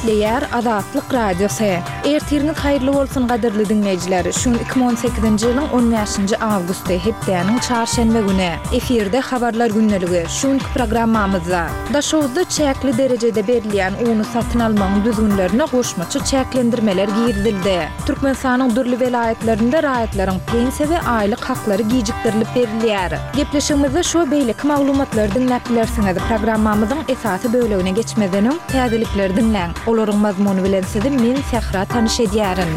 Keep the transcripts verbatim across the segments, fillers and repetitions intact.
Gepleýär Azatlyk Radiosy. Ertiriňiz haýyrly bolsun gadyrly diňleýjiler. Şu gün iki müň on sekizinji ýylyň on bäşinji awgusty, hepdäniň çarşenbe güni. Efirde Habarlar gündeligi. Şu günki programmamyzda Daşoguzda çäkli derejede berilýän uny satyn almagyň düzgünlerine goşmaça çäklendirmeler girizildi. Türkmenistanyň dürli welaýatlarynda raýatlaryň pensiýa we aýlyk haklary gijikdirilip berilýär. Gepleşigimizde şu we beýleki maglumatlary diňläp bilersiňiz. Programmamyzyň esasy bölegine geçmezden öň, täzelikleri diňläň. Olaryň mazmuny bilen sizi men, Sähra tanyş edýärin.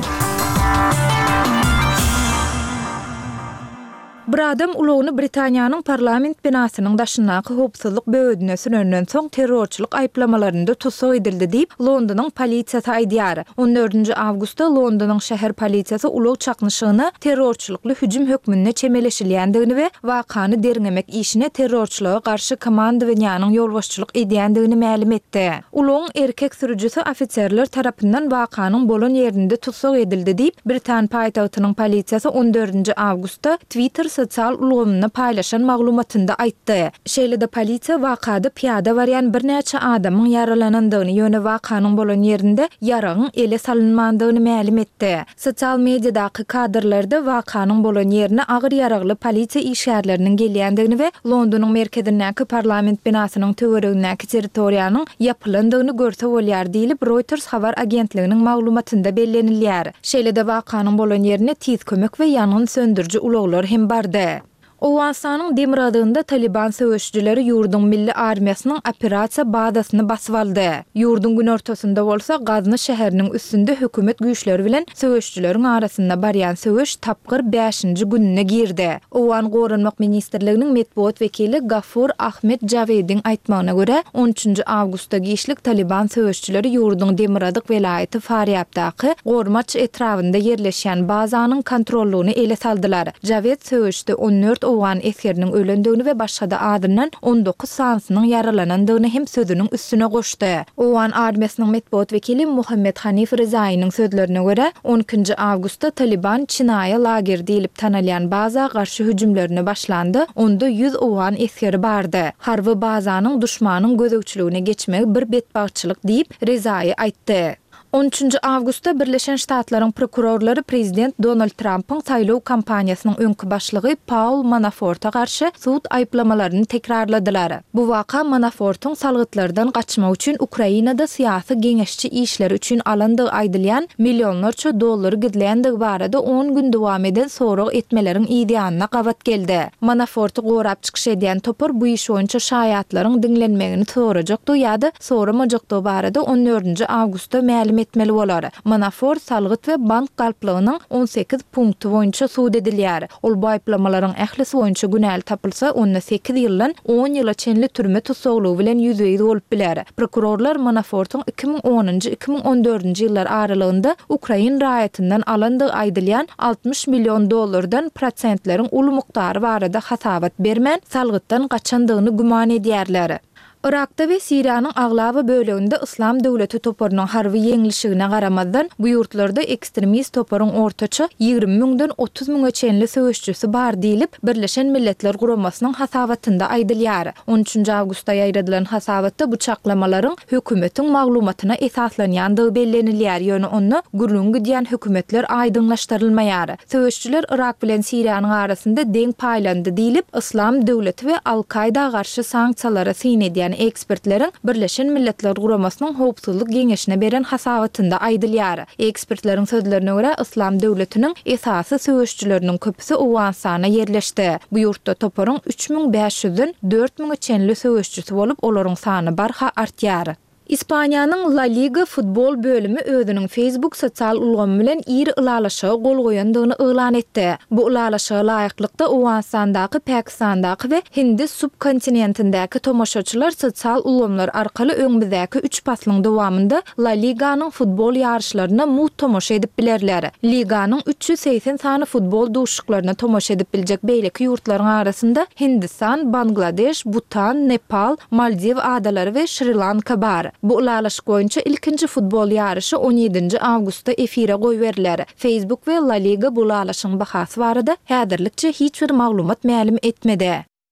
Bir adam ulagyny Britaniýanyň parlament binasynyň daşyndaky howpsuzlyk böwedine sürenden soň terrorçylyk aýyplamalarynda tussag edildi diýip, Londonyň polisiýasy aýdýar. On dördünji awgustda Londonyň şäher polisiýasy ulag çaknyşygyna terrorçylykly hüjüm hökmünde çemeleşilýändigini we wakany derňemek işine terrorçylyga garşy komandowaniýanyň ýolbaşçylyk edýändigini mälim etdi. Ulagyň erkek sürüjisi ofiserler tarapyndan wakanyň bolan ýerinde tussag edildi diýip, britan paýtagtynyň polisiýasy on dördünji awgustda Twitter sosial ulgamynda paýlaşan maglumatynda aýtdy. Şeýle-de polisiýa wakada pyýada barýan birnäçe adamyň ýaralanandygyny, ýöne wakanyň bolan ýerinde ýaragyň ele salynmandygyny mälim etdi. Sosial mediadaky kadrlarda wakanyň bolan ýerine agyr ýaragly polisiýa işgärleriniň gelýändigini we Londonyň merkezindäki parlament binasynyň töweregindäki territoriýanyň ýapylandygyny görse bolýar diýlip, Reuters habar agentliginiň maglumatynda bellenilýär. Şeýle-de wakanyň bolan ýerine tiz kömek we ýangyn söndüriji ulaglar hem bardy. Owganystanyň demirgazygynda Talyban söweşijileri ýurduň milli armiýasynyň operasiýa bazasyny basyp aldy. Ýurduň günortasynda bolsa Gazny şäheriniň üstünde hökümet güýçleri bilen söweşijileriň arasynda barýan söweş tapgyr bäşinji gününe girdi. Owgan Goranmak ministrliginiň metbugat wekili Gafur Ahmed Jawediň aýtmagyna görä, on üçünji awgustda giçlik Talyban söweşijileri ýurduň demirgazyk welaýaty Farýabdaky Gormaç etrabynda ýerleşýän bazanyň kontrollygyny ele saldylar. Jawed söweşde on dört owgan esgeriniň ölendigini we başga-da azyndan on dokuz sanysynyň ýaralanandygyny hem sözüniň üstüne goşdy. Owgan armiýasynyň metbugat wekili Muhammet Hanif Rezaýynyň sözlerine görä, on ikinji awgustda Talyban Çinaýa lageri diýlip tanalýan baza garşy hüjümlerine başlanda, onda ýüz owgan esgeri bardy. Harby bazanyň duşmanyň gözegçiligine geçmegi bir betbagtçylyk diýip, Rezaýy aýtdy. On üçünji awgustda Birleşen Ştatlaryň prokurorlary prezident Donald Trampyň saýlaw kampaniýasynyň öňki başlygy Paul Manaforta garşy sud aýyplamalaryny tekrarladylar. Bu waka Manafortyň salgytlardan gaçmak üçin Ukrainada syýasy geňeşçi işleri üçin alandygy aýdylýan millionlarça dollary gizländigi barada on gün dowam eden sorag etmeleriň yzýanyna gabat geldi. Manaforty gorap çykyş edýän topar bu iş boýunça şaýatlaryň diňlenmegini sorajakdygy ýa-da soramajakdygy barada on dördünji awgustda mälim etmeli bolar. Manafort salgyt we bank galplygynyň on sekiz punkty boýunça sud edilýär. Ol bu aýyplamalaryň ählisi boýunça günäli tapylsa, onda sekiz ýyldan on ýyla çenli türme tussaglygy bilen ýüzbe-ýüz bolup biler. Prokurorlar Manafortyň iki müň onunjy, iki müň on dördünji ýyllar aralygynda ukrain raýatyndan alandygy aýdylýan altmyş million dollardan prosentleriň uly mukdary barada hasabat bermän, salgytdan gaçandygyny güman edýärler. Yrakda we Siriýanyň aglaba böleginde Yslam döwleti toparynyň harby ýeňlişigine garamazdan, bu ýurtlarda ekstremist toparyň ortaça ýigrimi müňden otuz müňe çenli söweşijisi bar diýlip, Birleşen Milletler Guramasynyň hasabatynda aýdylýar. On üçünji awgustda ýaýradylan hasabatda bu çaklamalaryň hökümetiň maglumatyna esaslanýandygy bellenilýär, ýöne onda gürrüňi gidýän hökümetler aýdyňlaşdyrylmaýar. Söweşijiler Yrak bilen Siriýanyň arasynda deň paýlandy diýlip, Yslam döwleti we Al-Kaýda garşy sanksiýalara syn edýän ekspertleriň Birleşen Milletler Guramasynyň Howpsuzlyk Geňeşine beren hasabatynda aýdylýar. Ekspertleriň sözlerine görä, Yslam döwletiniň esasy söweşijileriniň köpüsi Owganystana ýerleşdi. Bu ýurtda toparyň üç müň bäş ýüzden dört müňe çenli söweşijisi bolup, olaryň sany barha artýar. Ispaniýanyň La Liga futbol bölümi özüniň Facebook sosial ulgamy bilen iri ylalaşyga gol goýandygyny yglan etdi. Bu ylalaşyga laýyklykda, Owganystandaky, Pakistandaky we Hindi subkontinentindäki tomaşaçylar sosial ulgamlar arkaly öňümizdäki üç paslyň dowamynda La Liganyň futbol ýaryşlaryna mugt tomaşa edip bilerler. Liganyň üç ýüz segsen sany futbol duşuşyklaryna tomaşa edip biljek beýleki ýurtlaryň arasynda Hindistan, Bangladeş, Butan, Nepal, Maldiw adalary we Şri-Lanka bar. Bu ylalaşyk boýunça ilkinji futbol ýaryşy on ýedinji awgustda efire goýberiler. Facebook we La Liga bu ylalaşygyň bahasy barada häzirlikçe hiç bir maglumat mälim etmedi.